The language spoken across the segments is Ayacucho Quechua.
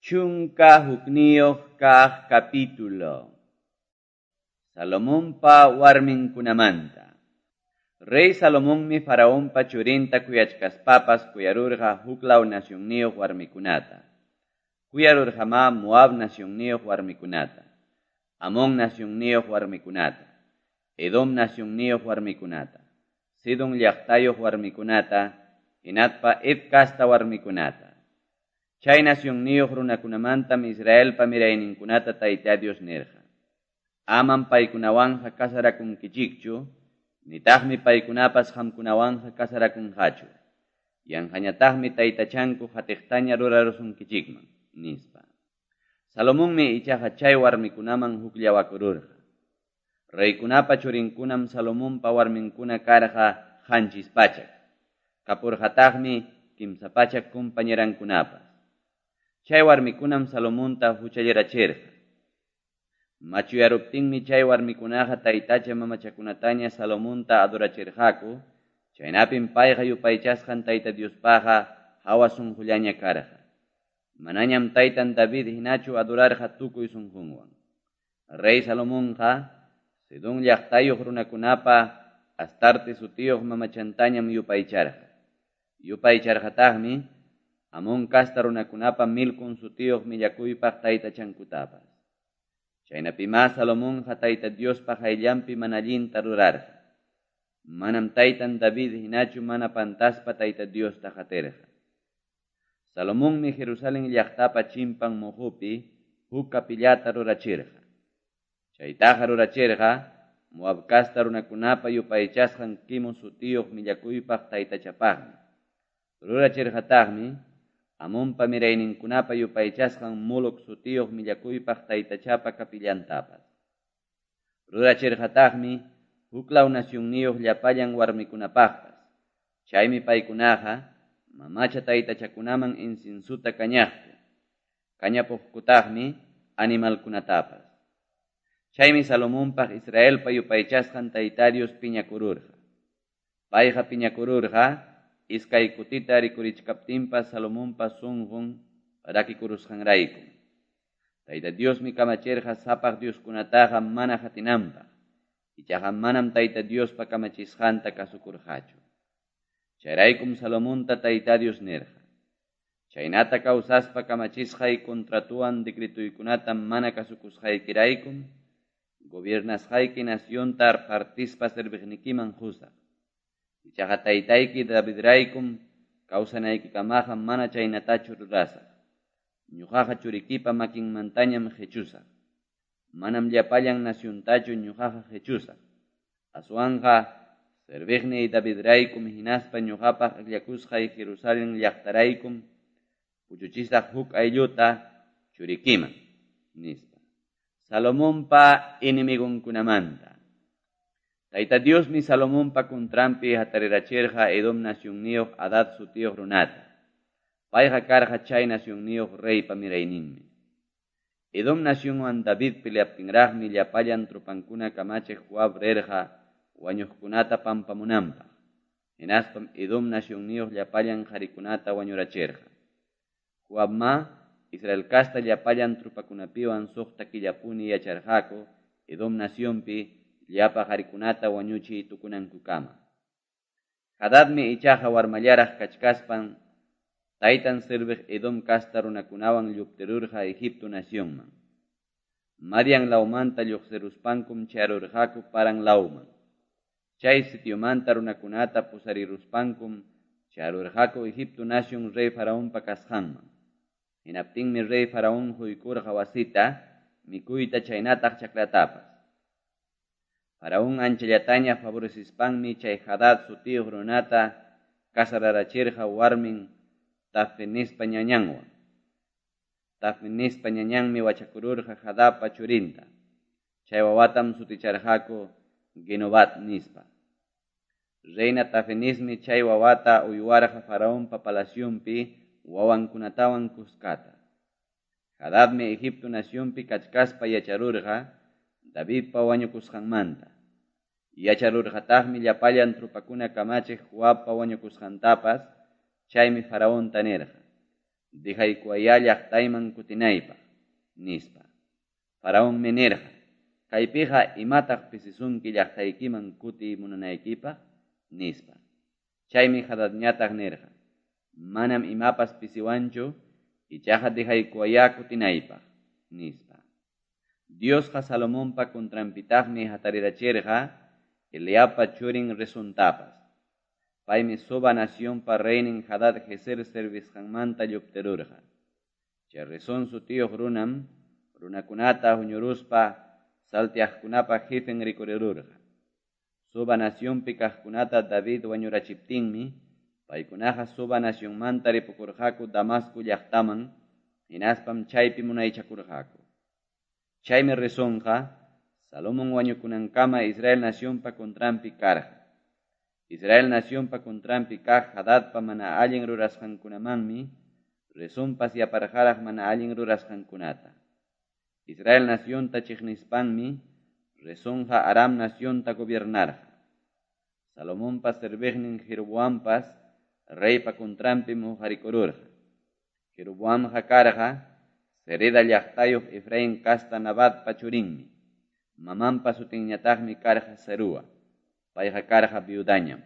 11 kaq capítulo. Salomonpa warminkunamanta. Rey Salomonmi Faraonpa churinta kuyachkaspapas kuyarurqa huklaw nacionniyuq warmikunata. Kuyarurqamá Moab nacionniyuq warmikunata, Amón nacionniyuq warmikunata, Edom nacionniyuq warmikunata, Sidon llaqtayuq warmikunata, hinaspa Het casta warmikunata. Chay nacionniyuq runakunamantam Israelpa mirayninkunata Tayta Dios nirqa: Amam paykunawanqa casarakunkichikchu, nitaqmi paykunapas qamkunawanqa casarakunqachu. Yanqañataqmi taytachanku qatiqtaña rurarusunkichikman, nispa. Salomonmi ichaqa chay warmikunaman hukllawakururqa. Reykunapa churinkunam Salomonpa warminkuna karqa 700. Kapurqataqmi 300 compañerankunapas. Chay warmikunam Salomonta huchallirachirqa. Machuyaruptinmi chay warmikunaqa taytacha mamachakunataña Salomonta adorachirqaku, chaynapim payqa yupaychasqan Tayta Diospaqqa hawa sunqullaña karqa. Manañam taytan David hinachu adorarqa tukuy sunqunwan. Rey Salomonqa Sidón llaqtayuq runakunapa Astarte sutiyuq mamachantañam yupaycharqa. Yupaycharqataqmi Amón casta runakunapa Milcom sutiyuq millakuypaq taytachankutapas. Chaynapimá Salomonqa Tayta Diospa qayllanpi mana allinta rurarqa. Manam taytan David hinachu mana pantaspa Tayta Diosta qatirqa. Salomonmi Jerusalén llaqtapa chimpan muqupi huk capillata rurachirqa. Chaytaqa rurachirqa Moab casta runakunapa yupaychasqan Quimos sutiyuq millakuypaq taytachapaqmi. Rurachirqataqmi Amonpa mirayninkunapa yupaychasqan Moloc sutiyuq millakuypaq taytachapa capillantapas. Rurachirqataqmi huklaw nacionniyuq llapallan warmikunapaqpas. Chaymi paykunaqa mamacha taytachakunaman inciensuta kañaqku. Kañapuqkutaqmi animalkunatapas. Chaymi Salomonpaq Israelpa yupaychasqan Tayta Dios piñakururqa. Payqa piñakururqa iskay kutita rikurichkaptinpas Salomonpa sunqun rakikurusqanrayku. Tayta Diosmi kamachirqa sapaq Dioskunataqa mana qatinanpaq. Ichaqa manam Tayta Diospa kamachisqanta kasukurqachu. Chayraykum Salomonta Tayta Dios nirqa: Chaynata kawsaspa kamachisqay contratuwan decretuykunata mana kasukusqaykiraykum, gobiernasqayki nacionta partispa serviqnikiman qusaq. Ichaqa taytayki Davidraykum kawsanaykikamaqa mana chaynatachu rurasaq. Ñuqaqa churikipa makinmantañam qechusaq. Manam llapallan naciontachu ñuqaqa qechusaq. Aswanqa serviqniy Davidraykum hinaspa ñuqapaq akllakusqay Jerusalén llaqtaraykum puchuchisaq huk aylluta churikiman, nispa. Salomonpa enemigonkunamanta. Tayta Diosmi Salomonpa contranpi hatarirachirqa Edom nacionniyuq Hadad sutiyuq runata. Payqa karqa chay nacionniyuq reypa mirayninmi. Edom nacionwan David peleaptinraqmi llapallan tropankuna kamachiq Joab rirqa wañuqkunata pampamunanpaq. Hinaspam Edom nacionniyuq llapallan qharikunata wañurachirqa. Joabma Israel casta llapallan tropakunapiwan suqta killapuni yacharqaku Edom nacionpi llapa qharikunata wañuchiy tukunankukama. Hadadmi ichaqa warmallaraq kachkaspan taytan serviq Edom casta runakunawan lluptirurqa Egipto nacionman. Madian lawmanta lluqsiruspankum chayarurqaku Paran lawman. Chay sitiomanta runakunata pusariruspankum chayarurqaku Egipto nacion rey Faraonpa kasqanman. Hinaptinmi rey Faraón huykurqa wasita, mikuyta chaynataq chakratapas. Faraón anchallataña favorecispanmi chay Hadad sutiyuq runata casararachirqa warmin Tafenespa ñañanwan. Tafenespa ñañanmi wachakururqa Hadadpa churinta. Chay wawatam suticharqaku Genobat nispa. Reina Tafenesmi chay wawata uywarqa Faraonpa palacionpi wawankunatawan kuskata. Hadadmi Egipto nacionpi kachkaspa yacharurqa Davidpa wañukusqanmanta. Yacharurqataqmi llapallan tropakuna kamachiq Joabpa wañukusqantapas, chaymi Faraonta nirqa: Dejaykuwayá llaqtayman kutinaypaq, nispa. Faraonmi nirqa, Kaypiqa imataq pisisunki llaqtaykiman kutiy munanaykipaq? nispa. Chaymi Hadadñataq nirqa, Manam imapas pisiwanchu, ichaqa dejaykuwayá kutinaypaq, nispa. Diosqa Salomonpa contranpitaqmi hatarirachirqa Eliabpa churin Rezontapas. Paymi Soba nacionpa reynin Hadad-jezer servisqanmanta lluptirurqa. Chay Rezón sutiyuq runam runakunata huñuruspa salteaqkunapa jefen rikurirurqa. Soba nacionpi kaqkunata David wañurachiptinmi paykunaqa Soba nacionmanta ripukurqaku Damasco llaqtaman, hinaspam chaypi munaychakurqaku. Chaymi Rezonqa Salomón wañukunankama Israel nacionpa contranpi karqa. Israel nacionpa contranpi kaq Hadadpa mana allin rurasqankunamanmi Rezonpas yaparqaraq mana allin rurasqankunata. Israel nacionta chiqnispanmi Rezonqa Aram nacionta gobiernarqa. Salomonpa serviqnin Jeroboampas reypa contranpim huqarikururqa. Jeroboamqa karqa Zereda llaqtayuq Efraín casta Nabatpa churinmi. Mamanpa sutinñataqmi karqa Zerúa. Payqa karqa viudañam.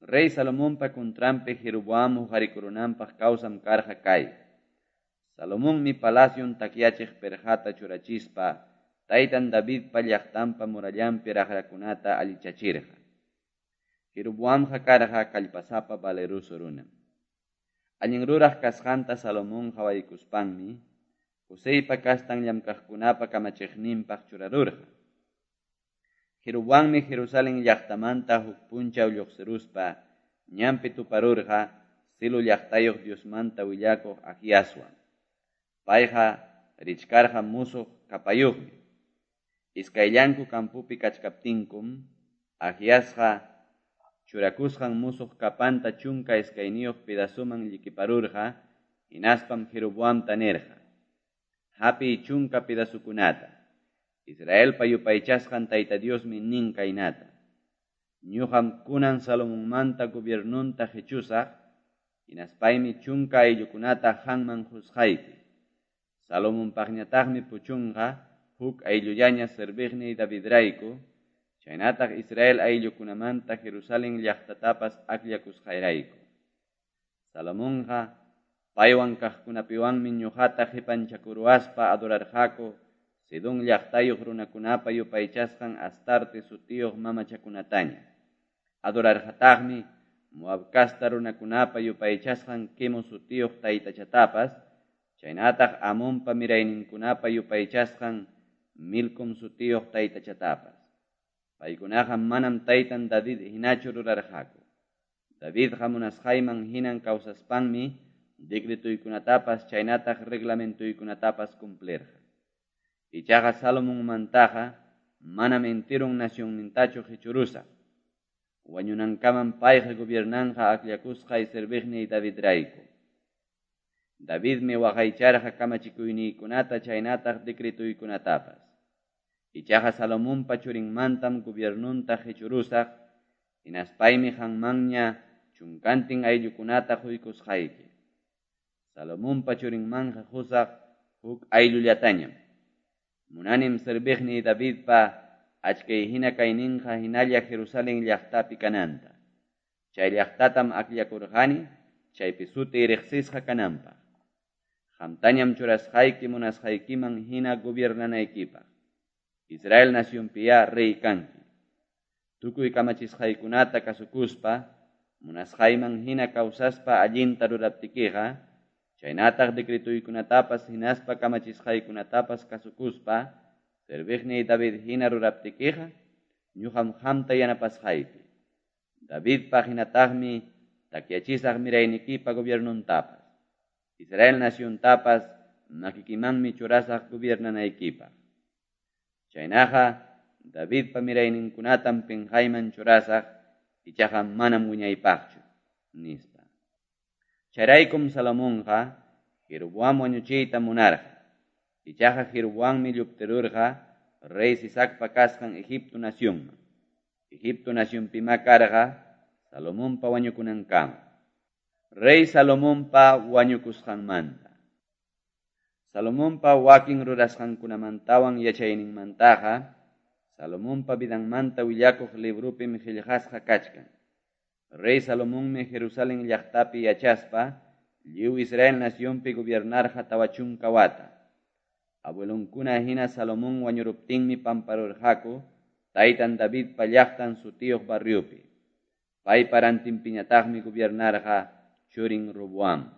Rey Salomonpa contranpi Jeroboam huqarikurunanpaq kawsam karqa kay. Salomonmi palacion takyachiq perqata churachispa taytan Davidpa llaqtanpa murallanpi raqrakunata allichachirqa. Jeroboamqa karqa kallpasapa valeroso runam. Allin ruraq kasqanta Salomón qawaykuspanmi Joseypa kastan llamkaqkunapa kamachiqninpaq churarurqa. Jeroboammi Jerusalén llaqtamanta huk punchaw lluqsiruspa ñanpi tuparurqa Silo llaqtayuq Diosmanta willakuq Ahiaswan. Payqa richkarqa musuq capayuqmi. Iskayllanku campopi kachkaptinkum Ahiasqa churakusqan musuq capanta 12 pedazoman llikiparurqa, hinaspam Jeroboamta nirqa: Hapiy 10 pedazokunata. Israelpa yupaychasqan Tayta Diosmi nin kaynata: Ñuqam kunan Salomonmanta gobiernonta qechusaq, hinaspaymi 10 ayllukunata qanman qusqayki. Salomonpaqñataqmi puchunqa huk ayllullaña serviqniy Davidrayku, chaynataq Israel ayllukunamanta Jerusalén llaqtatapas akllakusqayrayku. Salomonqa paywan kaqkunapiwanmi ñuqata qipanchakuruwaspa adorarqaku Sidón llaqtayuq runakunapa yupaychasqan Astarte sutiyuq mamachakunataña. Adorarqataqmi Moab casta runakunapa yupaychasqan Quemos sutiyuq taytachatapas, chaynataq Amonpa mirayninkunapa yupaychasqan Milcom sutiyuq taytachatapas. Paykunaqa manam taytan David hinachu rurarqaku. Davidqa munasqayman hinan kawsaspanmi decretoykunatapas chaynataq reglamentoykunatapas cumplirqa. Ichaqa Salomonmantaqa manam enteron nacionnintachu qechurusaq. Wañunankamam payqa gobiernanqa akllakusqay serviqniy Davidrayku. Davidmi waqaycharqa kamachikuyniykunata chaynataq decretoykunatapas. Ichaqa Salomonpa churinmantam gobiernonta qechurusaq, hinaspaymi qanmanña 10 ayllukunata quykusqayki. Salomonpa churinmanqa qusaq huk ayllullatañam. Munanim serviqniy Davidpa achkay hina kayninqa hinalla Jerusalén llaqtapi kananta. Chay llaqtatam akllakurqani, chaypi sutiy riqsisqa kananpaq. Qamtañam churasqayki munasqaykiman hina gobiernanaykipaq. Israel nacionpiyá rey kanki. Tukuy kamachisqaykunata kasukuspa, munasqayman hina kawsaspa allinta ruraptikiqa, chaynataq decretoykunatapas hinaspa kamachisqaykunatapas kasukuspa, serviqniy David hina ruraptikiqa, ñuqam qamta yanapasqayki. Davidpaq hinataqmi takyachisaq miraynikipa gobiernontapas. Israel naciontapas makikimanmi churasaq gobiernanaykipaq. Chaynaqa Davidpa mirayninkunatam pinqayman churasaq, ichaqa manam wiñaypaqchu, nispa. Chayraykum Salomonqa Jeroboam wañuchiyta munarqa. Ichaqa Jeroboammi lluptirurqa rey Sisacpa kasqan Egipto nacionman. Egipto nacionpimá karqa Salomonpa wañukunankama. Rey Salomonpa wañukusqanmanta. Salomonpa wakin rurasqankunamantawan yachayninmantaqa Salomonpa vidanmanta willakuq libropim qellqasqa kachkan. Rey Salomonmi Jerusalén llaqtapi yachaspa lliw Israel nacionpi gobiernarqa 40 wata. Abuelonkuna hina Salomón wañuruptinmi pamparurqaku taytan Davidpa llaqtan sutiyuq barriopi. Paypa rantinpiñataqmi gobiernarqa churin Roboam.